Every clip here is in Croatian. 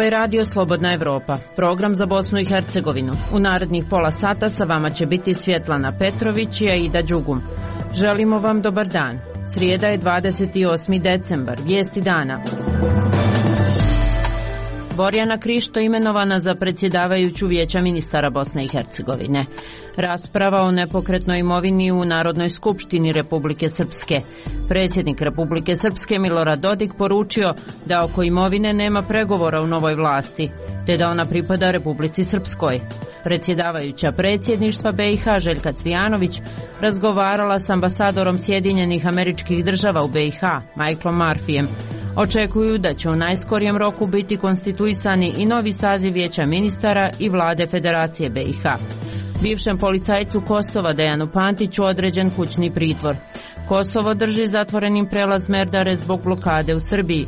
je Radio Slobodna Evropa, program za Bosnu i Hercegovinu. U narednih pola sata sa vama će biti Svjetlana Petrović i Aida Đugum. Želimo vam dobar dan. Srijeda je 28. decembar, vijesti dana. Borjana Krišto imenovana za predsjedavajuću Vijeća ministara Bosne i Hercegovine. Rasprava o nepokretnoj imovini u Narodnoj skupštini Republike Srpske. Predsjednik Republike Srpske Milorad Dodik poručio da oko imovine nema pregovora u novoj vlasti, te da ona pripada Republici Srpskoj. Predsjedavajuća predsjedništva BiH Željka Cvijanović razgovarala s ambasadorom Sjedinjenih Američkih Država u BiH Michaelom Murphyjem. Očekuju da će u najskorijem roku biti konstituisani i novi saziv Vijeća ministara i vlade Federacije BiH. Bivšem policajcu Kosova Dejanu Pantiću određen kućni pritvor. Kosovo drži zatvorenim prelaz Merdare zbog blokade u Srbiji.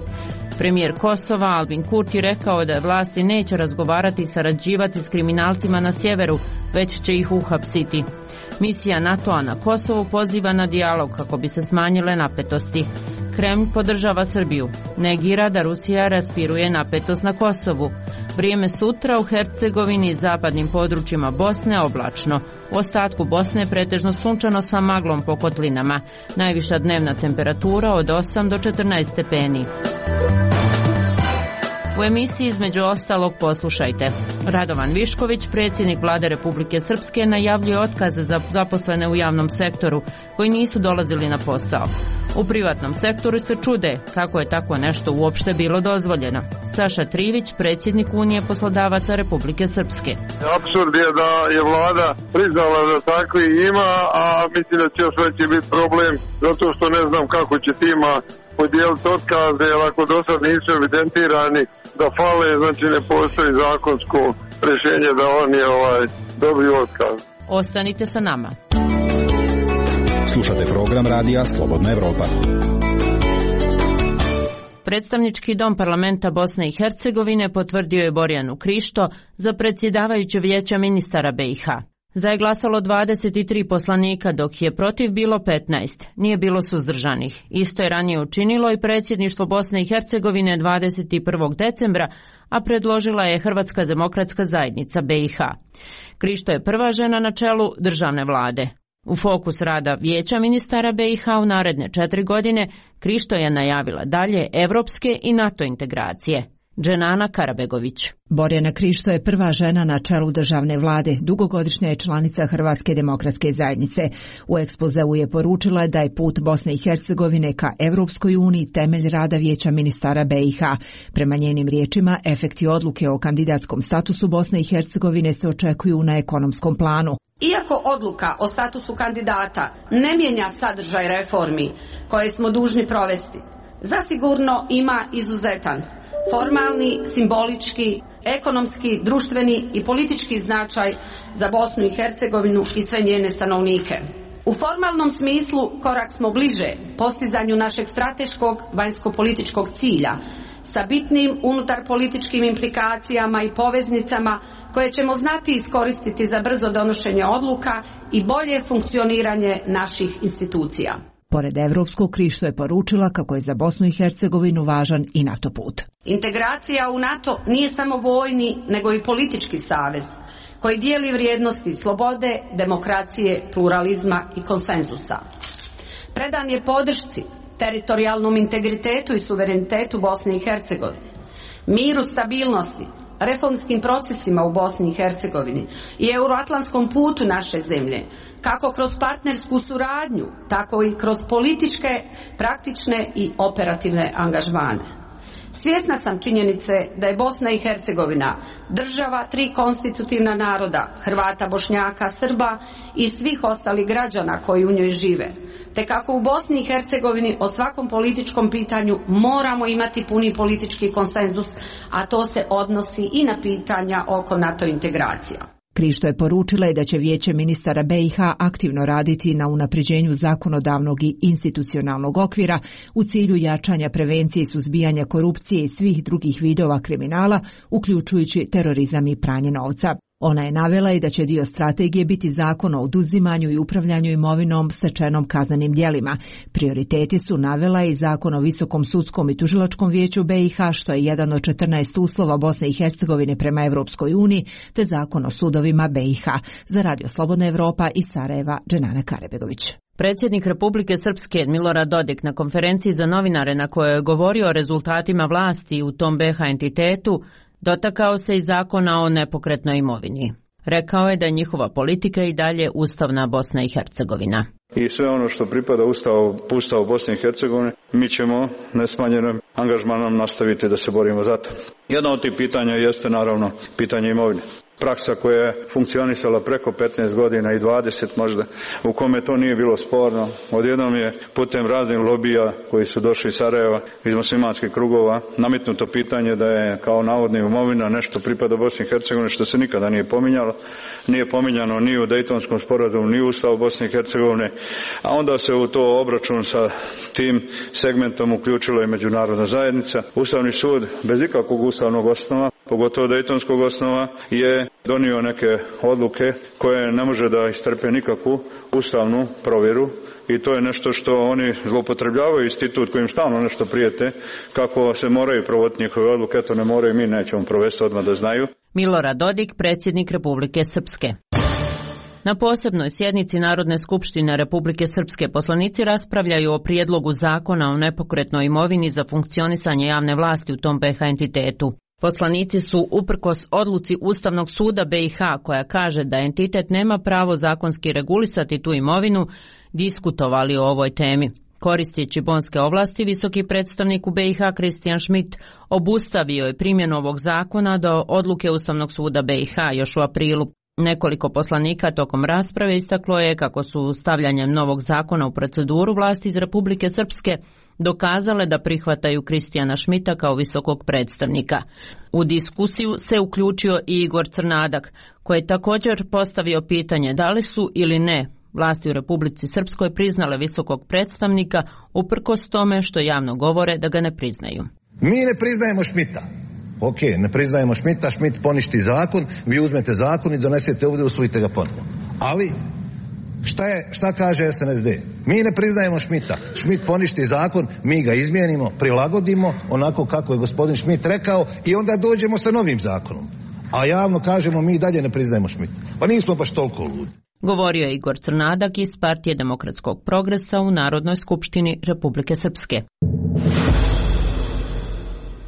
Premijer Kosova Albin Kurti rekao da vlasti neće razgovarati i sarađivati s kriminalcima na sjeveru, već će ih uhapsiti. Misija NATO-a na Kosovu poziva na dijalog kako bi se smanjile napetosti. Kremlj podržava Srbiju. Negira da Rusija raspiruje napetost na Kosovu. Vrijeme sutra u Hercegovini i zapadnim područjima Bosne oblačno. U ostatku Bosne pretežno sunčano sa maglom po kotlinama. Najviša dnevna temperatura od 8 do 14 stepeni. U emisiji između ostalog poslušajte. Radovan Višković, predsjednik Vlade Republike Srpske, najavljuje otkaze za zaposlene u javnom sektoru koji nisu dolazili na posao. U privatnom sektoru se čude kako je tako nešto uopšte bilo dozvoljeno. Saša Trivić, predsjednik Unije poslodavaca Republike Srpske. Apsurd je da je vlada priznala da takvi ima, a mislim da će još veći biti problem zato što ne znam kako će tima podijeliti otkaze, jer ako do sad nisu evidentirani da fale, znači ne postoji zakonsko rješenje da oni dobiju otkaz. Ostanite sa nama. Slušate program Radija Slobodna Evropa. Predstavnički dom parlamenta Bosne i Hercegovine potvrdio je Borjanu Krišto za predsjedavajuće Vijeća ministara BiH. Za je glasalo 23 poslanika, dok je protiv bilo 15. Nije bilo suzdržanih. Isto je ranije učinilo i predsjedništvo Bosne i Hercegovine 21. decembra, a predložila je Hrvatska demokratska zajednica BiH. Krišto je prva žena na čelu državne vlade. U fokus rada Vijeća ministara BiH u naredne 4 godine Krišto je najavila dalje evropske i NATO integracije. Dženana Karabegović. Borjana Krišto je prva žena na čelu državne vlade, dugogodišnja je članica Hrvatske demokratske zajednice. U ekspozeu je poručila da je put Bosne i Hercegovine ka Evropskoj uniji temelj rada Vijeća ministara BiH. Prema njenim riječima, efekti odluke o kandidatskom statusu Bosne i Hercegovine se očekuju na ekonomskom planu. Iako odluka o statusu kandidata ne mijenja sadržaj reformi koje smo dužni provesti, zasigurno ima izuzetan formalni, simbolički, ekonomski, društveni i politički značaj za Bosnu i Hercegovinu i sve njene stanovnike. U formalnom smislu korak smo bliže postizanju našeg strateškog vanjsko-političkog cilja sa bitnim unutarpolitičkim implikacijama i poveznicama koje ćemo znati iskoristiti za brzo donošenje odluka i bolje funkcioniranje naših institucija. Pored evropskog, Krišto je poručila kako je za Bosnu i Hercegovinu važan i NATO put. Integracija u NATO nije samo vojni, nego i politički savez koji dijeli vrijednosti slobode, demokracije, pluralizma i konsenzusa. Predan je podršci teritorijalnom integritetu i suverenitetu Bosne i Hercegovine, miru, stabilnosti, reformskim procesima u Bosni i Hercegovini i euroatlantskom putu naše zemlje, kako kroz partnersku suradnju, tako i kroz političke, praktične i operativne angažmane. Svjesna sam činjenice da je Bosna i Hercegovina država 3 konstitutivna naroda, Hrvata, Bošnjaka, Srba i svih ostalih građana koji u njoj žive, te kako u Bosni i Hercegovini o svakom političkom pitanju moramo imati puni politički konsenzus, a to se odnosi i na pitanja oko NATO integracija. Krišto je poručila da će Vijeće ministara BiH aktivno raditi na unapređenju zakonodavnog i institucionalnog okvira u cilju jačanja prevencije i suzbijanja korupcije i svih drugih vidova kriminala, uključujući terorizam i pranje novca. Ona je navela i da će dio strategije biti zakon o oduzimanju i upravljanju imovinom stečenom kaznenim djelima. Prioriteti su navela i zakon o Visokom sudskom i tužilačkom vijeću BiH, što je jedan od 14 uslova Bosne i Hercegovine prema Evropskoj uniji, te zakon o sudovima BiH. Za Radio Slobodna Evropa iz Sarajeva, Dženana Karebegović. Predsjednik Republike Srpske Milorad Dodik na konferenciji za novinare na kojoj je govorio o rezultatima vlasti u tom BiH entitetu dotakao se i zakona o nepokretnoj imovini. Rekao je da je njihova politika i dalje ustavna Bosna i Hercegovina. I sve ono što pripada Ustavu Bosne i Hercegovine, mi ćemo nesmanjenim angažmanom nastaviti da se borimo za to. Jedno od tih pitanja jeste naravno pitanje imovine. Praksa koja je funkcionisala preko 15 godina i 20 možda, u kome to nije bilo sporno. Odjednom je putem raznih lobija koji su došli iz Sarajeva, iz muslimanskih krugova, nametnuto pitanje da je kao navodna imovina nešto pripada Bosni i Hercegovini, što se nikada nije pominjalo. Nije pominjano ni u Dejtonskom sporazumu, ni u Ustavu Bosne i Hercegovine, a onda se u to obračun sa tim segmentom uključila i međunarodna zajednica. Ustavni sud bez ikakvog ustavnog osnova, pogotovo Dejtonskog osnova, je donio neke odluke koje ne može da istrpe nikakvu ustavnu provjeru i to je nešto što oni zloupotrebljavaju, institut kojim stalno nešto prijete, kako se moraju provoditi njihove odluke, to ne moraju, mi nećemo provesti odmah da znaju. Milorad Dodik, predsjednik Republike Srpske. Na posebnoj sjednici Narodne skupštine Republike Srpske poslanici raspravljaju o prijedlogu zakona o nepokretnoj imovini za funkcionisanje javne vlasti u tom BiH entitetu. Poslanici su, uprkos odluci Ustavnog suda BiH koja kaže da entitet nema pravo zakonski regulisati tu imovinu, diskutovali o ovoj temi. Koristeći bonske ovlasti, visoki predstavnik u BiH Kristijan Schmidt obustavio je primjenu ovog zakona do odluke Ustavnog suda BiH još u aprilu. Nekoliko poslanika tokom rasprave istaklo je kako su stavljanjem novog zakona u proceduru vlasti iz Republike Srpske dokazale da prihvataju Kristijana Schmidta kao visokog predstavnika. U diskusiju se uključio i Igor Crnadak, koji je također postavio pitanje da li su ili ne vlasti u Republici Srpskoj priznale visokog predstavnika uprkos tome što javno govore da ga ne priznaju. Mi ne priznajemo Schmidta. Ok, ne priznajemo Schmidta, Schmidt poništi zakon, vi uzmete zakon i donesete ovdje, usvojite ga ponovo. Ali šta kaže SNSD? Mi ne priznajemo Schmidta. Schmidt poništi zakon, mi ga izmijenimo, prilagodimo onako kako je gospodin Schmidt rekao i onda dođemo sa novim zakonom. A javno kažemo mi dalje ne priznajemo Schmidta. Pa nismo baš toliko ludi. Govorio je Igor Crnadak iz Partije demokratskog progresa u Narodnoj skupštini Republike Srpske.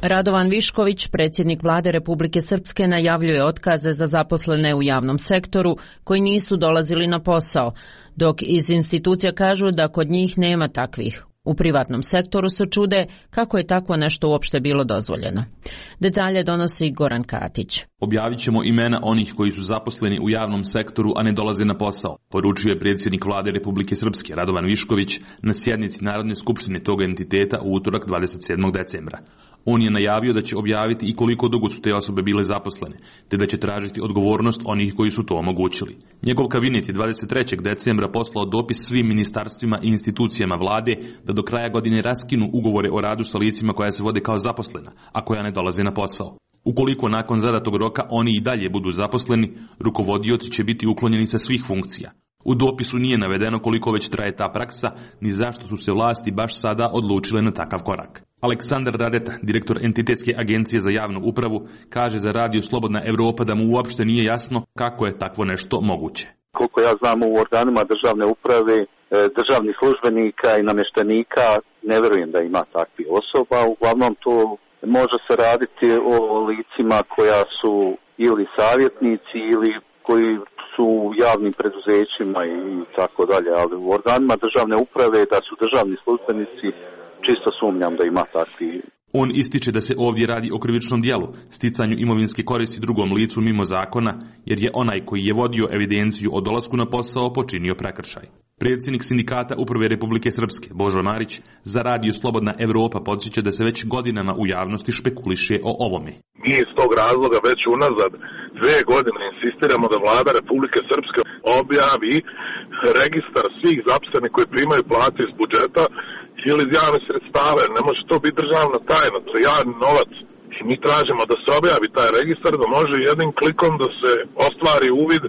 Radovan Višković, predsjednik vlade Republike Srpske, najavljuje otkaze za zaposlene u javnom sektoru koji nisu dolazili na posao, dok iz institucija kažu da kod njih nema takvih. U privatnom sektoru se čude kako je takvo nešto uopšte bilo dozvoljeno. Detalje donosi Goran Katić. Objavit ćemo imena onih koji su zaposleni u javnom sektoru, a ne dolaze na posao, poručio je predsjednik vlade Republike Srpske Radovan Višković na sjednici Narodne skupštine tog entiteta u utorak 27. decembra. On je najavio da će objaviti i koliko dugo su te osobe bile zaposlene, te da će tražiti odgovornost onih koji su to omogućili. Njegov kabinet je 23. decembra poslao dopis svim ministarstvima i institucijama vlade da do kraja godine raskinu ugovore o radu sa licima koja se vode kao zaposlena, a koja ne dolaze na posao. Ukoliko nakon zadatog roka oni i dalje budu zaposleni, rukovodioci će biti uklonjeni sa svih funkcija. U dopisu nije navedeno koliko već traje ta praksa, ni zašto su se vlasti baš sada odlučile na takav korak. Aleksandar Radeta, direktor Entitetske agencije za javnu upravu, kaže za Radio Slobodna Evropa da mu uopšte nije jasno kako je takvo nešto moguće. Koliko ja znam, u organima državne uprave, državnih službenika i namještenika, ne vjerujem da ima takvih osoba. Uglavnom to može se raditi o licima koja su ili savjetnici ili koji su u javnim preduzećima i tako dalje, ali u organima državne uprave da su državni službenici, čisto sumnjam da ima takvi. On ističe da se ovdje radi o krivičnom djelu, sticanju imovinske koristi drugom licu mimo zakona, jer je onaj koji je vodio evidenciju o dolasku na posao počinio prekršaj. Predsjednik sindikata Uprave Republike Srpske, Božo Marić, za Radio Slobodna Evropa podsjeća da se već godinama u javnosti špekuliše o ovome. Mi iz tog razloga već unazad 2 godine insistiramo da vlada Republike Srpske objavi registar svih zaposlenih koji primaju plate iz budžeta ili iz javnih sredstava. Ne može to biti državna tajna, to je javni novac I mi tražimo da se objavi taj registar, da može jednim klikom da se ostvari uvid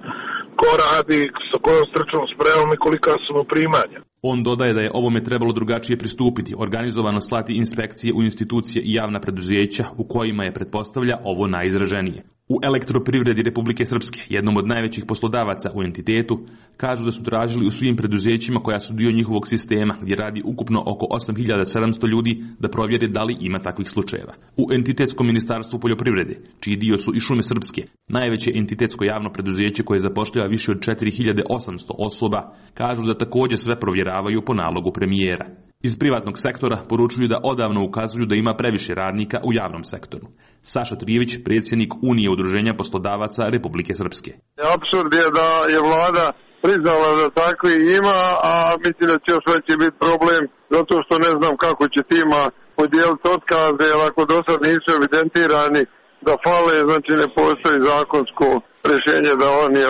ko radi, sa kojom stručnom spremom i kolika su mu primanja. On dodaje da je ovome trebalo drugačije pristupiti, organizovano slati inspekcije u institucije i javna preduzeća u kojima je, pretpostavlja, ovo najizraženije. U Elektroprivredi Republike Srpske, jednom od najvećih poslodavaca u entitetu, kažu da su tražili u svim preduzećima koja su dio njihovog sistema, gdje radi ukupno oko 8700 ljudi, da provjere da li ima takvih slučajeva. U entitetskom ministarstvu poljoprivrede, čiji dio su i Šume Srpske, najveće entitetsko javno preduzeće koje zapošljava više od 4800 osoba, kažu da također sve provjeravaju po nalogu premijera. Iz privatnog sektora poručuju da odavno ukazuju da ima previše radnika u javnom sektoru. Saša Trijević, predsjednik Unije udruženja poslodavaca Republike Srpske. Apsurd je da je vlada priznala da takvi ima, a mislim da će još veći biti problem, zato što ne znam kako će tima podijeliti otkaze, jer ako do sad nisu evidentirani da fale, znači ne postoji zakonsko rješenje da oni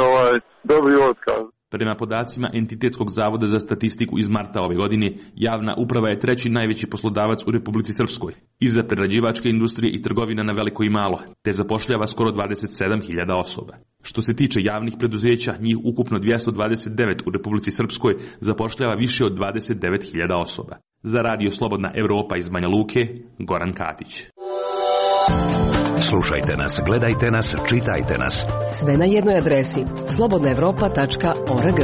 dobiju otkaz. Prema podacima Entitetskog zavoda za statistiku iz marta ove godine, javna uprava je treći najveći poslodavac u Republici Srpskoj, iza prerađivačke industrije i trgovina na veliko i malo, te zapošljava skoro 27.000 osoba. Što se tiče javnih preduzeća, njih ukupno 229 u Republici Srpskoj zapošljava više od 29.000 osoba. Za Radio Slobodna Evropa iz Banja Luke, Goran Katić. Slušajte nas, gledajte nas, čitajte nas. Sve na jednoj adresi slobodnaevropa.org.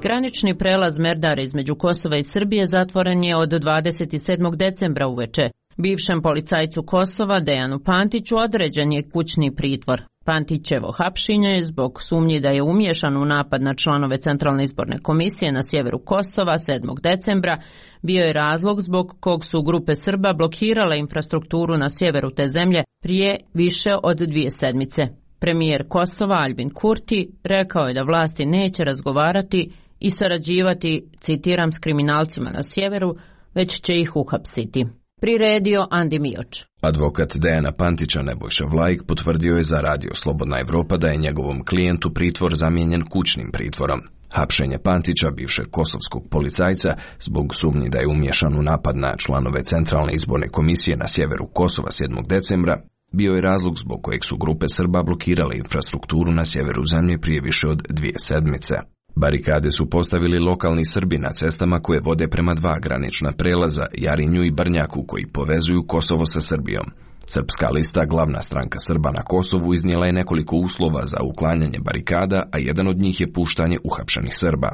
Granični prelaz Merdare između Kosova i Srbije zatvoren je od 27. decembra uveče. Bivšem policajcu Kosova, Dejanu Pantiću, određen je kućni pritvor. Pantićevo hapšenje zbog sumnji da je umiješan u napad na članove Centralne izborne komisije na sjeveru Kosova 7. decembra bio je razlog zbog kog su grupe Srba blokirale infrastrukturu na sjeveru te zemlje prije više od 2 sedmice. Premijer Kosova Albin Kurti rekao je da vlasti neće razgovarati i sarađivati, citiram, s kriminalcima na sjeveru, već će ih uhapsiti. Priredio Andi Mioč. Advokat Dejana Pantića Nebojša Vlajk potvrdio je za Radio Slobodna Evropa da je njegovom klijentu pritvor zamijenjen kućnim pritvorom. Hapšenje Pantića, bivšeg kosovskog policajca, zbog sumnji da je umiješan u napad na članove Centralne izborne komisije na sjeveru Kosova 7. decembra, bio je razlog zbog kojeg su grupe Srba blokirale infrastrukturu na sjeveru zemlje prije više od 2 sedmice. Barikade su postavili lokalni Srbi na cestama koje vode prema 2 granična prelaza, Jarinju i Brnjaku, koji povezuju Kosovo sa Srbijom. Srpska lista, glavna stranka Srba na Kosovu, iznijela je nekoliko uslova za uklanjanje barikada, a jedan od njih je puštanje uhapšenih Srba.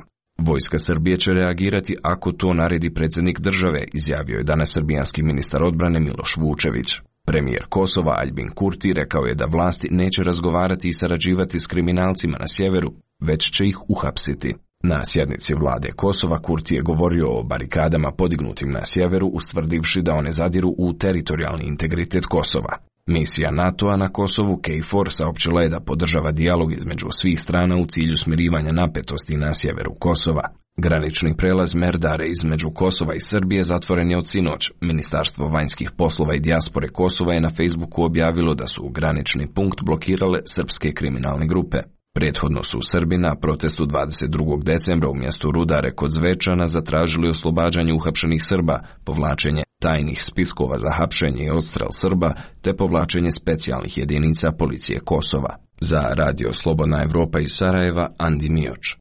Vojska Srbije će reagirati ako to naredi predsjednik države, izjavio je danas srbijanski ministar odbrane Miloš Vučević. Premijer Kosova Albin Kurti rekao je da vlasti neće razgovarati i sarađivati s kriminalcima na sjeveru, već će ih uhapsiti. Na sjednici vlade Kosova Kurti je govorio o barikadama podignutim na sjeveru, ustvrdivši da one zadiru u teritorijalni integritet Kosova. Misija NATO-a na Kosovu KFOR saopćila je da podržava dijalog između svih strana u cilju smirivanja napetosti na sjeveru Kosova. Granični prelaz Merdare između Kosova i Srbije zatvoren je od sinoć. Ministarstvo vanjskih poslova i dijaspore Kosova je na Facebooku objavilo da su granični punkt blokirale srpske kriminalne grupe. Prethodno su Srbi na protestu 22. decembra u mjestu Rudare kod Zvečana zatražili oslobađanje uhapšenih Srba, povlačenje tajnih spiskova za hapšenje i odstrel Srba, te povlačenje specijalnih jedinica policije Kosova. Za Radio Slobodna Evropa iz Sarajeva, Andi Mioč.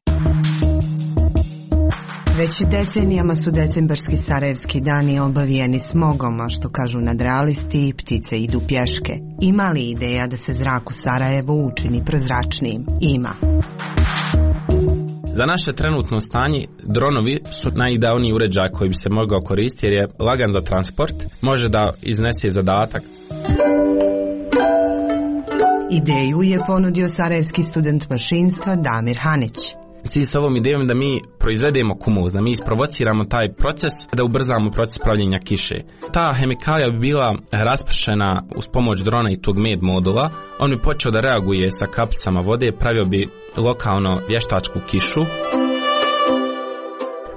Već decenijama su decembarski sarajevski dani obavijeni smogom, a što kažu nadrealisti, ptice idu pješke. Ima li ideja da se zrak u Sarajevu učini prozračnijim? Ima. Za naše trenutno stanje, dronovi su najidealniji uređaj koji bi se mogao koristiti jer je lagan za transport, može da iznese zadatak. Ideju je ponudio sarajevski student mašinstva Damir Hanić. Cilj s ovom idejom da mi proizvedemo kumuz, da mi isprovociramo taj proces, da ubrzamo proces pravljenja kiše. Ta hemikalija bi bila raspršena uz pomoć drona i tog med modula. On bi počeo da reaguje sa kapicama vode, pravio bi lokalno vještačku kišu.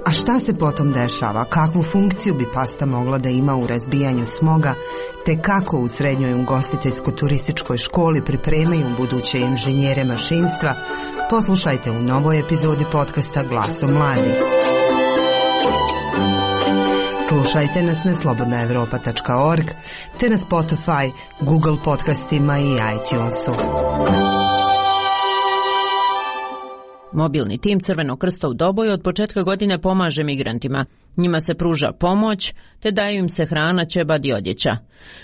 A šta se potom dešava? Kakvu funkciju bi pasta mogla da ima u razbijanju smoga, te kako u srednjoj ugostiteljsko-turističkoj školi pripremaju buduće inženjere mašinstva? Poslušajte u novoj epizodi podcasta Glasom mladih. Slušajte nas na slobodnaevropa.org te na Spotify, Google podcastima i iTunesu. Mobilni tim Crvenog krsta u Doboju od početka godine pomaže migrantima. Njima se pruža pomoć, te daju im se hrana, ćebad i odjeća.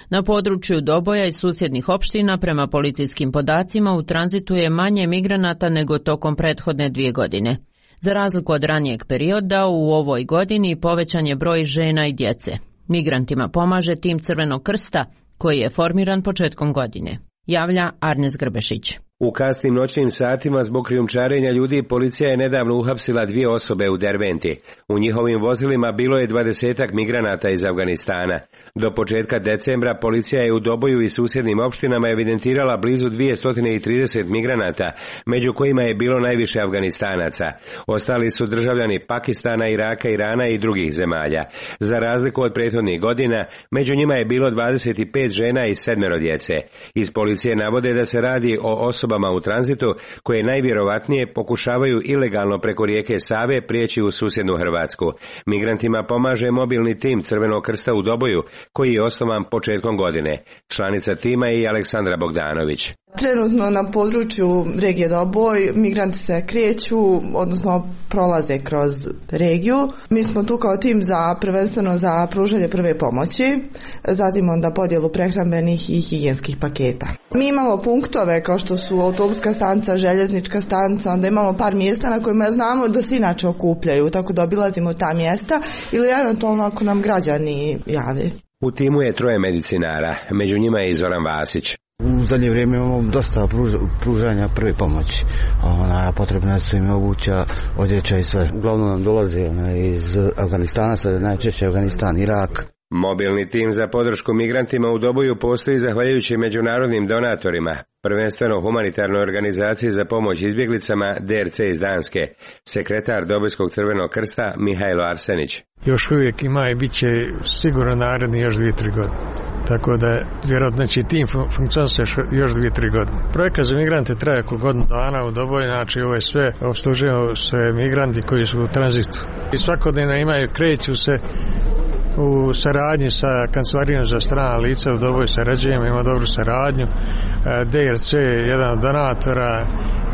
Na području Doboja i susjednih opština, prema policijskim podacima, u tranzitu je manje migranata nego tokom prethodne 2 godine. Za razliku od ranijeg perioda, u ovoj godini povećan je broj žena i djece. Migrantima pomaže tim Crvenog krsta, koji je formiran početkom godine. Javlja Arnes Grbešić. U kasnim noćnim satima zbog krijumčarenja ljudi policija je nedavno uhapsila 2 osobe u Derventi. U njihovim vozilima bilo je 20 migranata iz Afganistana. Do početka decembra policija je u Doboju i susjednim opštinama evidentirala blizu 230 migranata, među kojima je bilo najviše Afganistanaca. Ostali su državljani Pakistana, Iraka, Irana i drugih zemalja. Za razliku od prethodnih godina, među njima je bilo 25 žena i 7 djece. Iz policije navode da se radi o osobama u tranzitu koje najvjerovatnije pokušavaju ilegalno preko rijeke Save prijeći u susjednu Hrvatsku. Migrantima pomaže mobilni tim Crvenog krsta u Doboju, koji je osnovan početkom godine. Članica tima je i Aleksandra Bogdanović. Trenutno na području regije Doboj migranti se kreću, odnosno prolaze kroz regiju. Mi smo tu kao tim prvenstveno za pružanje prve pomoći, zatim onda podjelu prehrambenih i higijenskih paketa. Mi imamo punktove kao što su autobuska stanica, željeznička stanica, onda imamo par mjesta na kojima znamo da se inače okupljaju, tako da obilazimo ta mjesta ili eventualno ako nam građani jave. U timu je 3 medicinara, među njima je i Zoran Vasić. U zadnje vrijeme imamo dosta pružanja prve pomoći. Potrebna su im obuća, odjeća i sve. Uglavnom nam dolaze iz Afganistana, sada najčešće Afganistan, Irak. Mobilni tim za podršku migrantima u Doboju postoji zahvaljujući međunarodnim donatorima, prvenstveno humanitarnoj organizaciji za pomoć izbjeglicama DRC iz Danske. Sekretar Dobojskog Crvenog krsta Mihajlo Arsenić. Još uvijek ima i bit će sigurno naredni još 2-3 godine. Tako da vjerojatno će tim funkcionirati još 2-3 godine. Projekat za migrante traje oko godinu dana u Doboju, znači ovo je sve obslužujemo sve migranti koji su u tranzitu. I svakodnevno kreću se u saradnji sa Kancelarijom za strana lica u Doboju sarađujemo, ima dobru saradnju. DRC je jedan od donatora,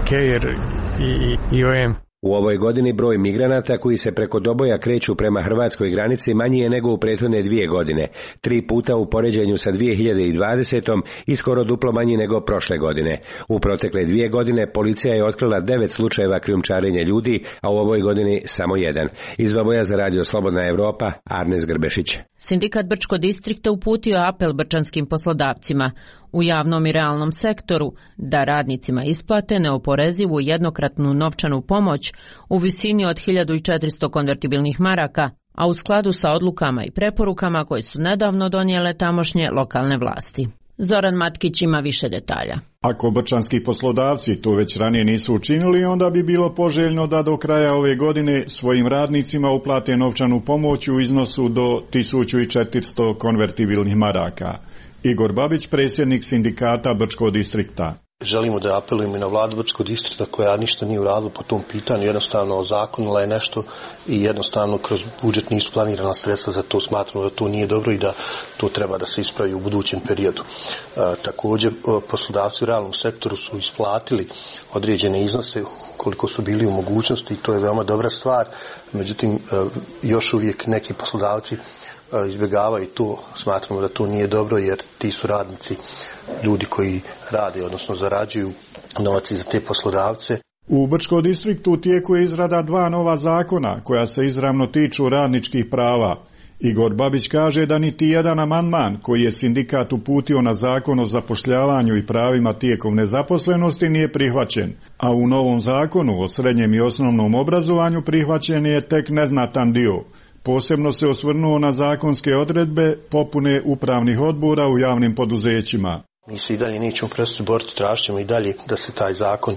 KEIR i IOM. U ovoj godini broj migranata koji se preko Doboja kreću prema hrvatskoj granici manji je nego u prethodne 2 godine, 3 puta u poređenju sa 2020. i skoro duplo manji nego prošle godine. U protekle 2 godine policija je otkrila 9 slučajeva krijumčarenja ljudi, a u ovoj godini samo 1. Iz Doboja za radio Slobodna Evropa, Arnes Grbešić. Sindikat Brčko distrikta uputio apel brčanskim poslodavcima u javnom i realnom sektoru da radnicima isplate neoporezivu jednokratnu novčanu pomoć u visini od 1400 konvertibilnih maraka, a u skladu sa odlukama i preporukama koje su nedavno donijele tamošnje lokalne vlasti. Zoran Matkić ima više detalja. Ako brčanski poslodavci to već ranije nisu učinili, onda bi bilo poželjno da do kraja ove godine svojim radnicima uplate novčanu pomoć u iznosu do 1400 konvertibilnih maraka. Igor Babić, predsjednik sindikata Brčkog distrikta. Želimo da apelujemo i na vladu Brčkog distrikta koja ništa nije uradila po tom pitanju, jednostavno ozakonila je nešto i jednostavno kroz budžet nisu planirana sredstva, za to smatramo da to nije dobro i da to treba da se ispravi u budućem periodu. Također poslodavci u realnom sektoru su isplatili određene iznose koliko su bili u mogućnosti i to je veoma dobra stvar, međutim još uvijek neki poslodavci izbjegavaju to, smatramo da to nije dobro jer ti su radnici ljudi koji rade, odnosno zarađuju novac za te poslodavce. U Brčkom distriktu u tijeku je izrada 2 nova zakona koja se izravno tiču radničkih prava. Igor Babić kaže da niti jedan amandman koji je sindikat uputio na zakon o zapošljavanju i pravima tijekom nezaposlenosti nije prihvaćen, a u novom zakonu o srednjem i osnovnom obrazovanju prihvaćen je tek neznatan dio. Posebno se osvrnuo na zakonske odredbe popune upravnih odbora u javnim poduzećima. Mi se i dalje nećemo prestati boriti, tražit ćemo i dalje da se taj zakon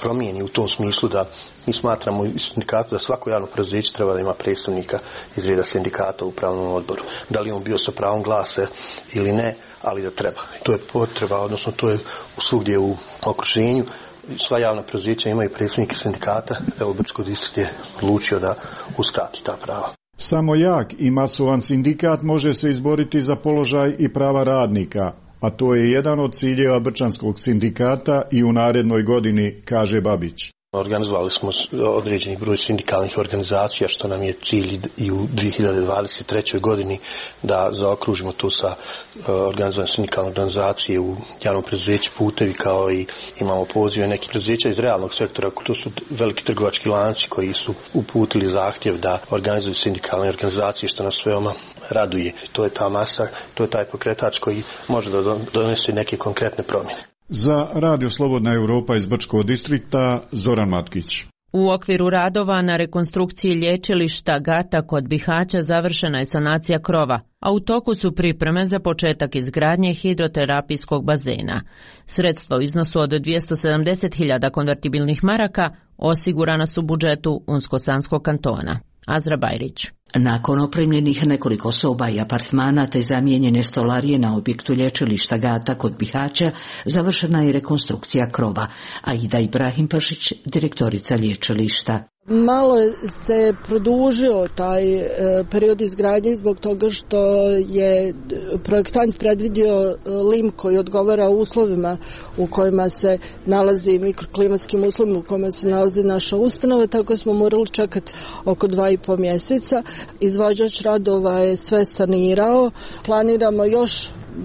promijeni u tom smislu da mi smatramo u sindikatu da svako javno preduzeće treba da ima predstavnika iz reda sindikata u upravnom odboru. Da li on bio sa pravom glasa ili ne, ali da treba. To je potreba, odnosno to je svugdje u okruženju. Sva javna preduzeća imaju predstavnike sindikata, evo Brčko distrikt je odlučio da uskrati ta prava. Samo jak i masovan sindikat može se izboriti za položaj i prava radnika, a to je jedan od ciljeva Brčanskog sindikata i u narednoj godini, kaže Babić. Organizovali smo određeni broj sindikalnih organizacija, što nam je cilj i u 2023. godini da zaokružimo to sa organizovanjem sindikalne organizacije u javnom preduzeću Putevi, kao i imamo pozive nekih preduzeća iz realnog sektora, to su veliki trgovački lanci koji su uputili zahtjev da organizuju sindikalne organizacije, što nas veoma raduje. To je ta masa, to je taj pokretač koji može da donese neke konkretne promjene. Za Radio Slobodna Europa iz Brčkog distrikta, Zoran Matkić. U okviru radova na rekonstrukciji lječilišta Gata kod Bihaća završena je sanacija krova, a u toku su pripreme za početak izgradnje hidroterapijskog bazena. Sredstva u iznosu od 270.000 konvertibilnih maraka osigurana su u budžetu Unsko-Sanskog kantona. Azra Bajrić. Nakon opremljenih nekoliko soba i apartmana te zamijenjene stolarije na objektu lječilišta Gata kod Bihaća, završena je rekonstrukcija krova. Aida Ibrahim Pašić, direktorica lječilišta. Malo se produžio taj period izgradnje zbog toga što je projektant predvidio lim koji odgovara uslovima u kojima se nalazi, mikroklimatskim uslovima u kojima se nalazi naša ustanova, tako smo morali čekati oko 2,5 mjeseca. Izvođač radova je sve sanirao. Planiramo još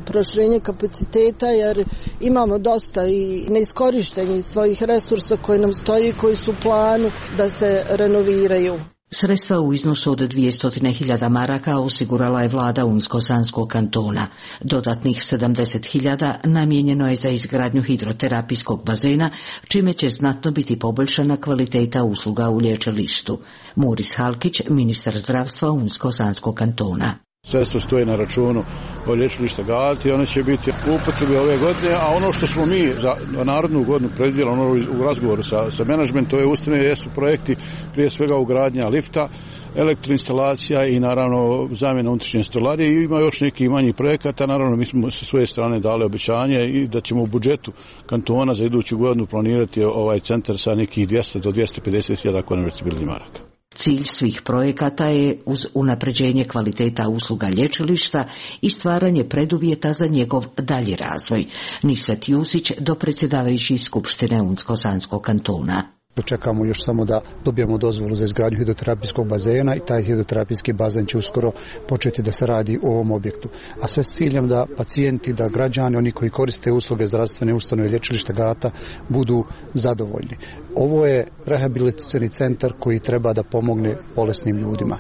proširenje kapaciteta jer imamo dosta i neiskorištenih svojih resursa koji nam stoji, koji su u planu da se renoviraju. Sredstva u iznosu od 200.000 maraka osigurala je vlada Unsko-Sanskog kantona. Dodatnih 70.000 namijenjeno je za izgradnju hidroterapijskog bazena, čime će znatno biti poboljšana kvaliteta usluga u lječilištu. Muris Halkić, ministar zdravstva Unsko-Sanskog kantona. Sredstvo stoje na računu lječilišta Gata i one će biti u upotrebi ove godine, a ono što smo mi za narodnu godinu predvidjeli u razgovoru sa menadžmentom, je ustanove jesu projekti, prije svega ugradnja lifta, elektroinstalacija i naravno zamjena unutrašnje stolarije, i ima još neki manji projekata. Naravno mi smo sa svoje strane dali obećanje i da ćemo u budžetu kantona za iduću godinu planirati ovaj centar sa nekih 200 do 250.000 konvertibilnih maraka. Cilj svih projekata je uz unapređenje kvaliteta usluga lječilišta i stvaranje preduvjeta za njegov dalji razvoj. Nisvet Jusić, dopredsjedavajući Skupštine Unsko-Sanskog kantona. Čekamo još samo da dobijemo dozvolu za izgradnju hidroterapijskog bazena i taj hidroterapijski bazen će uskoro početi da se radi u ovom objektu. A sve s ciljem da pacijenti, da građani, oni koji koriste usluge zdravstvene ustanove lječilišta Gata budu zadovoljni. Ovo je rehabilitacioni centar koji treba da pomogne bolesnim ljudima.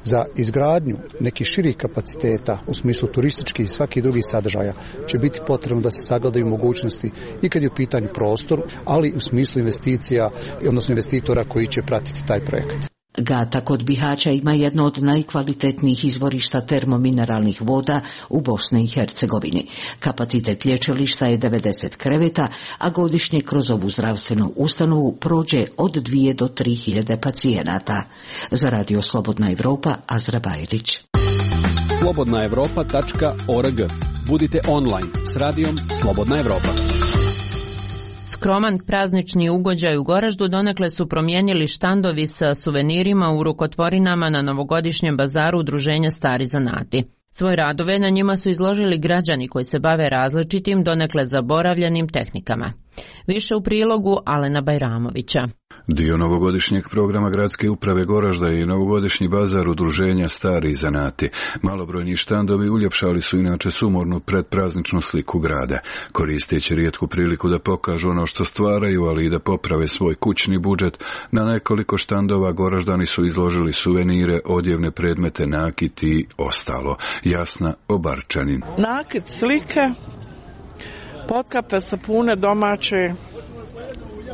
Za izgradnju nekih širih kapaciteta u smislu turističkih i svakih drugih sadržaja će biti potrebno da se sagledaju mogućnosti i kad je u pitanju prostor, ali u smislu investicija, odnosno investitora koji će pratiti taj projekt. Gata kod Bihaća ima jedno od najkvalitetnijih izvorišta termomineralnih voda u Bosni i Hercegovini. Kapacitet lječilišta je 90 kreveta, a godišnje kroz ovu zdravstvenu ustanovu prođe od 2 do 3.000 pacijenata. Za Radio Slobodna Evropa, Azra Bajrić. slobodnaevropa.org. Budite online s radijom Slobodna Evropa. Skroman praznični ugođaj u Goraždu donekle su promijenili štandovi sa suvenirima u rukotvorinama na novogodišnjem bazaru Udruženja Stari zanati. Svoje radove na njima su izložili građani koji se bave različitim, donekle zaboravljenim tehnikama. Više u prilogu Alena Bajramovića. Dio novogodišnjeg programa Gradske uprave Goražda i novogodišnji bazar Udruženja Stari zanati. Malobrojni štandovi uljepšali su inače sumornu predprazničnu sliku grada, koristeći rijetku priliku da pokažu ono što stvaraju, ali i da poprave svoj kućni budžet. Na nekoliko štandova Goraždani su izložili suvenire, odjevne predmete, nakit i ostalo. Jasna Obarčanin. Nakit, slike, potkape, sapune domaće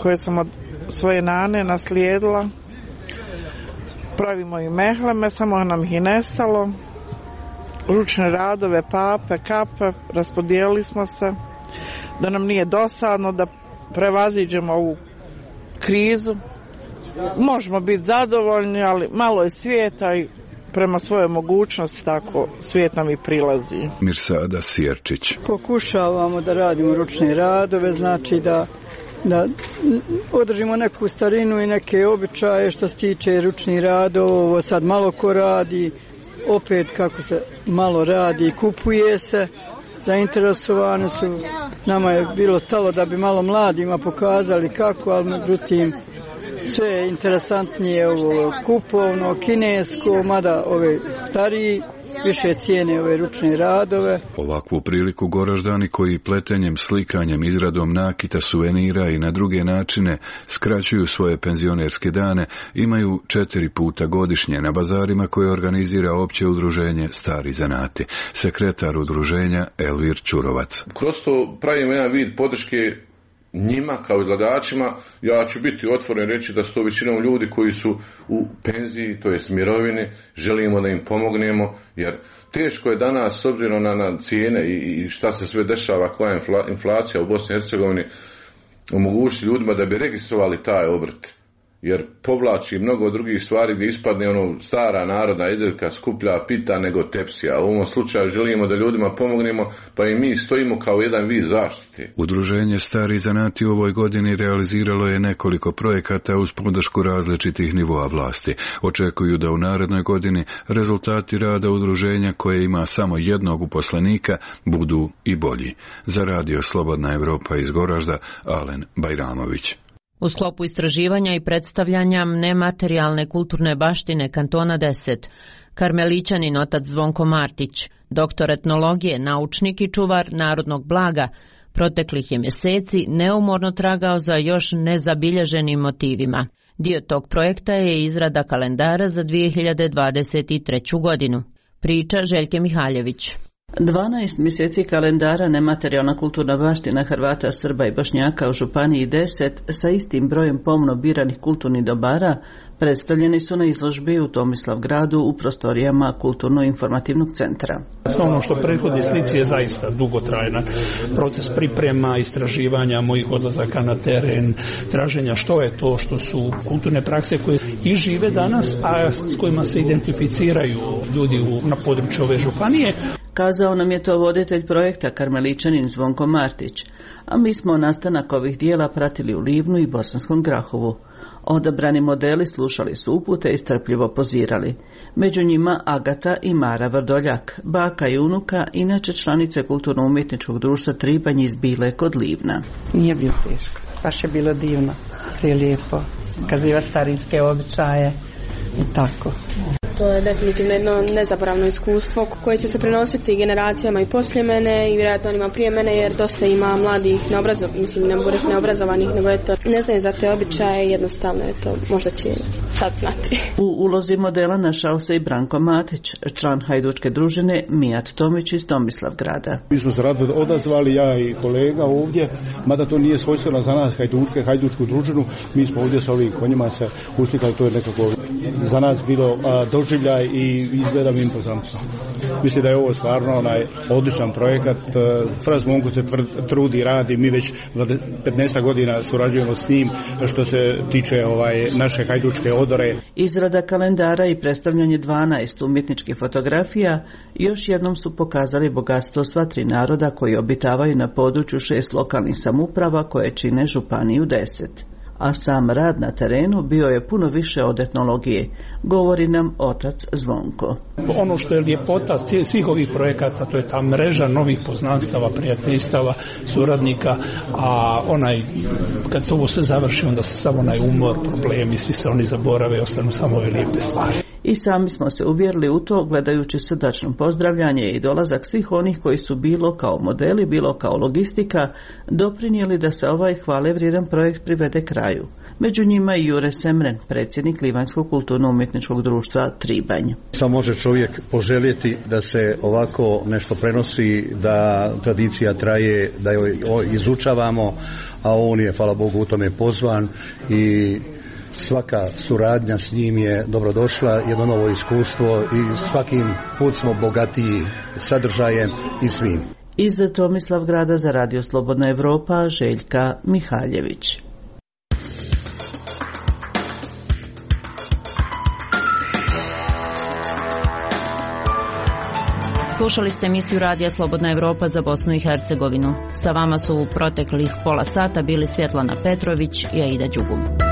koje sam od svoje nane naslijedila. Pravimo i mehleme, samo nam ih i nestalo. Ručne radove, pape, kape, raspodijelili smo se da nam nije dosadno, da prevaziđemo ovu krizu. Možemo biti zadovoljni, ali malo je svijeta i prema svojoj mogućnosti tako svijet nam i prilazi. Mirsada Sjerčić. Pokušavamo da radimo ručne radove, znači da da održimo neku starinu i neke običaje što se tiče ručnih radova. Ovo sad malo ko radi, opet kako se malo radi, kupuje se, zainteresovane su. Nama je bilo stalo da bi malo mladima pokazali kako, ali međutim sve je interesantnije ovo kupovno, kinesko, mada ove stariji više cijene ove ručne radove. Ovakvu priliku Goraždani koji pletenjem, slikanjem, izradom nakita, suvenira i na druge načine skraćuju svoje penzionerske dane, imaju 4 puta godišnje na bazarima koje organizira opće udruženje Stari zanati. Sekretar udruženja Elvir Ćurovac. Kroz to pravimo jedan vid podrške njima kao izlagačima. Ja ću biti otvoren reći da su to većinom ljudi koji su u penziji, to jest mirovini, želimo da im pomognemo, jer teško je danas s obzirom na cijene i šta se sve dešava, koja je inflacija u Bosni i Hercegovini, omogućiti ljudima da bi registrovali taj obrt, jer povlači mnogo drugih stvari gdje ispadne stara narodna izreka skuplja pita nego tepsija. U ovom slučaju želimo da ljudima pomognemo, pa i mi stojimo kao jedan vid zaštite. Udruženje Stari zanati u ovoj godini realiziralo je nekoliko projekata uz podršku različitih nivoa vlasti. Očekuju da u narednoj godini rezultati rada udruženja koje ima samo jednog uposlenika budu i bolji. Za radio Slobodna Evropa iz Goražda, Alen Bajramović. U sklopu istraživanja i predstavljanja nematerijalne kulturne baštine kantona 10, karmelićanin otac Zvonko Martić, doktor etnologije, naučnik i čuvar narodnog blaga, proteklih je mjeseci neumorno tragao za još nezabilježenim motivima. Dio tog projekta je izrada kalendara za 2023. godinu. Priča Željke Mihaljević. 12 mjeseci kalendara nematerijalna kulturna baština Hrvata, Srba i Bošnjaka u Županiji 10 sa istim brojem pomno biranih kulturnih dobara predstavljeni su na izložbi u Tomislavgradu u prostorijama Kulturno-informativnog centra. Ono što prethodi slici je zaista dugotrajan proces priprema, istraživanja, mojih odlazaka na teren, traženja što je to što su kulturne prakse koje i žive danas, a s kojima se identificiraju ljudi na području ove županije. Kazao nam je to voditelj projekta karmelićanin Zvonko Martić, a mi smo nastanak ovih dijela pratili u Livnu i Bosanskom Grahovu. Odabrani modeli slušali su upute i strpljivo pozirali. Među njima Agata i Mara Vrdoljak, baka i unuka, inače članice Kulturno-umjetničkog društva Tribanj iz Bile kod Livna. Nije bilo teško, baš je bilo divno, prelijepo, kazivati starinske običaje i tako. To je definitivno jedno nezaboravno iskustvo koje će se prenositi generacijama i poslije mene i vjerojatno onima prije mene, jer dosta ima mladih ne mogu reći neobrazovanih, nego ne znaju za te običaje, jednostavno je to, možda će sad znati. U ulozi modela našao se i Branko Matić, član hajdučke družine Mijat Tomić iz Tomislavgrada. Mi smo se rado odazvali, ja i kolega ovdje, mada to nije svojstveno za nas hajdučku družinu, mi smo ovdje sa ovim konjima se uslikali, to je nekako za nas bilo doživljaj i izgleda mi impozantno. Mislim da je ovo stvarno odličan projekat. Fraz Monko se trudi, radi, mi već 15 godina surađujemo s njim što se tiče naše hajdučke odore. Izrada kalendara i predstavljanje 12 umjetničkih fotografija još jednom su pokazali bogatstvo sva 3 naroda koji obitavaju na području 6 lokalnih samouprava koje čine Županiju 10. A sam rad na terenu bio je puno više od etnologije, govori nam otac Zvonko. Ono što je ljepota svih ovih projekata, to je ta mreža novih poznanstava, prijateljstava, suradnika, a kad se ovo sve završi, onda se samo umor, problemi, svi se oni zaborave i ostanu samo ove lijepe stvari. I sami smo se uvjerili u to gledajući srdačno pozdravljanje i dolazak svih onih koji su bilo kao modeli, bilo kao logistika doprinijeli da se ovaj hvalevrijedan projekt privede kraju. Među njima i Jure Semren, predsjednik Livanjskog kulturno-umjetničkog društva Tribanj. Samo može čovjek poželjeti da se ovako nešto prenosi, da tradicija traje, da joj izučavamo, a on je, hvala Bogu, u tome pozvan i svaka suradnja s njim je dobrodošla, jedno novo iskustvo i svakim put smo bogatiji sadržajem i svim. Iz Tomislavgrada za radio Slobodna Evropa, Željka Mihaljević. Slušali ste emisiju Radija Slobodna Evropa za Bosnu i Hercegovinu. Sa vama su u proteklih pola sata bili Svjetlana Petrović i Aida Đugum.